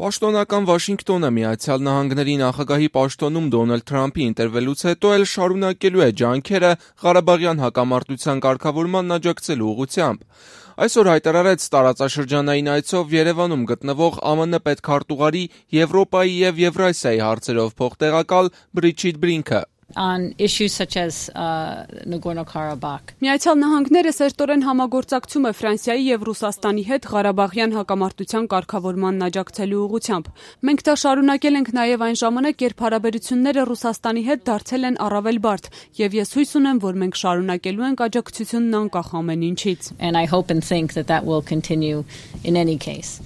Պաշտոնական Վաշինգտոնը Միացյալ Նահանգների նախագահի պաշտոնում Դոնալդ Թրամփի ընտրվելուց հետո էլ շարունակելու է ջանքերը Ղարաբաղյան հակամարտության կարգավորման աջակցելու ուղղությամբ։ Այսօր հայտարարեց տարածաշրջանային այցով Երևանում գտնվող ԱՄՆ պետքարտուղարի Եվրոպայի և Եվրասիայի հարցերով փոխտեղակալ Բրիջիթ Բրինքը։ On issues such as Nagorno-Karabakh. Միացյալ Նահանգները սերտորեն համագործակցում է Ֆրանսիայի և Ռուսաստանի հետ Ղարաբաղյան հակամարտության կարգավորմանն աջակցելու ուղղությամբ։ Մենք դա շարունակել ենք նաև այն ժամանակ, երբ հարաբերությունները Ռուսաստանի հետ դարձել են առավել բարդ, եւ ես հույս ունեմ, որ մենք շարունակելու ենք աջակցությունն անկախ ամեն ինչից։ And I hope and think that will continue in any case.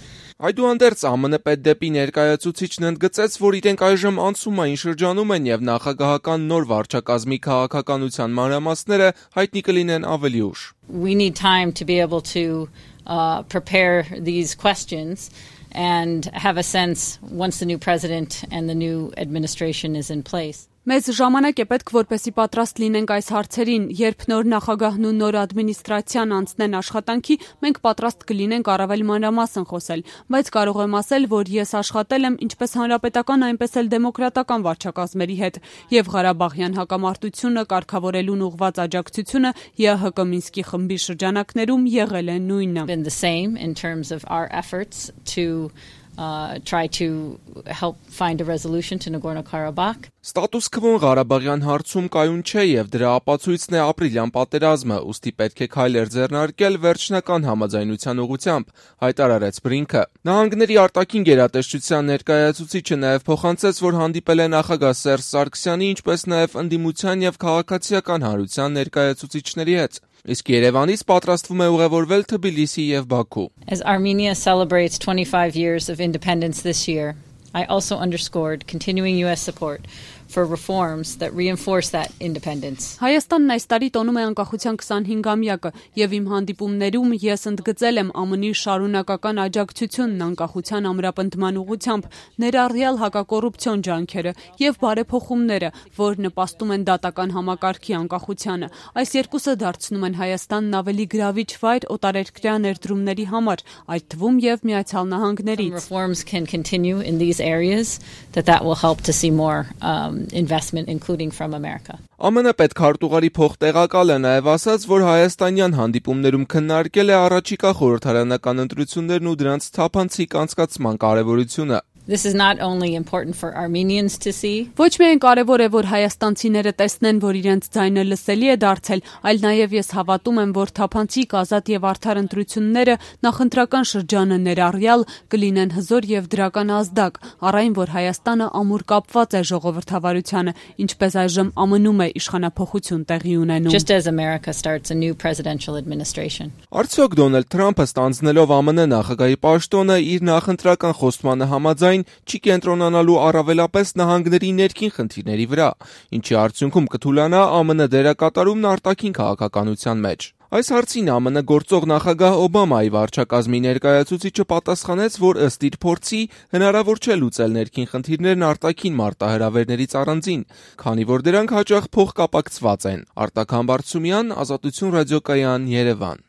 Այդուհանդերձ ԱՄՆ պետդեպի ներկայացուցիչն ընդգծեց, որ իրենք այժմ անցումային շրջանում են եւ նախագահական նոր վարչակազմի քաղաքականության մանրամասները հայտնի կլինեն ավելի ուշ։ We need time to be able to prepare these questions and have a sense once the new president and the new administration is in place. Մեզ ժամանակ է պետք, որպեսզի պատրաստ լինենք այս հարցերին, երբ նոր նախագահն ու նոր ադմինիստրացիան անցնեն աշխատանքի, մենք պատրաստ կլինենք առավել մանրամասն խոսել, բայց կարող եմ ասել, որ ես աշխատել եմ ինչպես հանրապետական, այնպես էլ դեմոկրատական վարչակազմերի հետ, եւ Ղարաբաղյան հակամարտությունը կարգավորելուն ուղղված աջակցությունը ԵՀԿ Մինսկի խմբի շրջանակներում եղել է նույնը։ Been the same in terms of our efforts to try to help find a resolution to Nagorno-Karabakh. Ստատուս քվոն Ղարաբաղյան հարցում կայուն չէ եւ դրա ապացույցն է ապրիլյան պատերազմը, ուստի պետք է քայլեր ձեռնարկել վերջնական համաձայնության ուղղությամբ, հայտարարեց Բրինքը։ Նահանգների արտաքին գերատեսչության ներկայացուցիչը նաեւ փոխանցեց, որ հանդիպել է նախագահ Սերժ Սարգսյանի, ինչպես նաեւ ընդդիմության եւ քաղաքացիական հանրության ներկայացուցիչների հետ։ Իսկ Երևանից պատրաստվում է ուղևորվել Թբիլիսի եւ Բաքու։ As Armenia celebrates 25 years of independence this year, I also underscored continuing US support for reforms that reinforce that independence. Հայաստանն այս տարի տոնում է անկախության 25-ամյակը եւ իմ հանդիպումներում ես ընդգծել եմ ԱՄՆ-ի շարունակական աջակցությունն անկախության ամրապնդման ուղղությամբ, ներառյալ հակակոռուպցիոն ջանքերը եւ բարեփոխումները, որ նպաստում են դատական համակարգի անկախությանը։ Այս երկուսը դարձնում են Հայաստանն ավելի գրավիչ վայր օտարերկրյա ներդրումների համար, այդ թվում եւ Միացյալ Նահանգներից։ Reforms can continue in these areas that will help to see more investment including from America. ԱՄՆ պետքարտուղարի փոխտեղակալը նաև ասաց, որ հայաստանյան հանդիպումներում քննարկել է առաջիկա խորհրդարանական ընտրություններն ու դրանց թափանցիկ անցկացման կարևորությունը։ This is not only important for Armenians to see. Ոչ միայն կարևոր է, որ հայաստանցիները տեսնեն, որ իրենց ձայնը լսելի է դարձել, այլ նաև ես հավատում եմ, որ թափանցիկ ազատ եւ արդար ընտրությունները նախընտրական շրջանը ներառյալ կլինեն հզոր եւ դրական ազդակ, առայն որ Հայաստանը ամուր կապված է ժողովրդավարությանը, ինչպես այժմ ԱՄՆ-ում է իշխանափոխություն տեղի ունենում։ Just as America starts a new presidential administration. Արդյոք Դոնալդ Թրամփը ստանձնելով ԱՄՆ նախագահի պաշտոնը իր նախընտրական խոստմանը համաձայն չի կենտրոնանալու առավելապես նահանգների ներքին խնդիրների վրա, ինչի արդյունքում կթուլանա ԱՄՆ դերակատարումն արտաքին քաղաքականության մեջ։ Այս հարցին ԱՄՆ գործող նախագահ Օբամայի վարչակազմի ներկայացուցիչը պատասխանեց, որ ըստ իր փորձի հնարավոր չէ լուծել ներքին խնդիրներն արտաքին մարտահրավերներից առանձին, քանի որ դրանք հաճախ փոխկապակցված են։ Արտակ Համբարձումյան, Ազատություն ռադիոկայան, Երևան։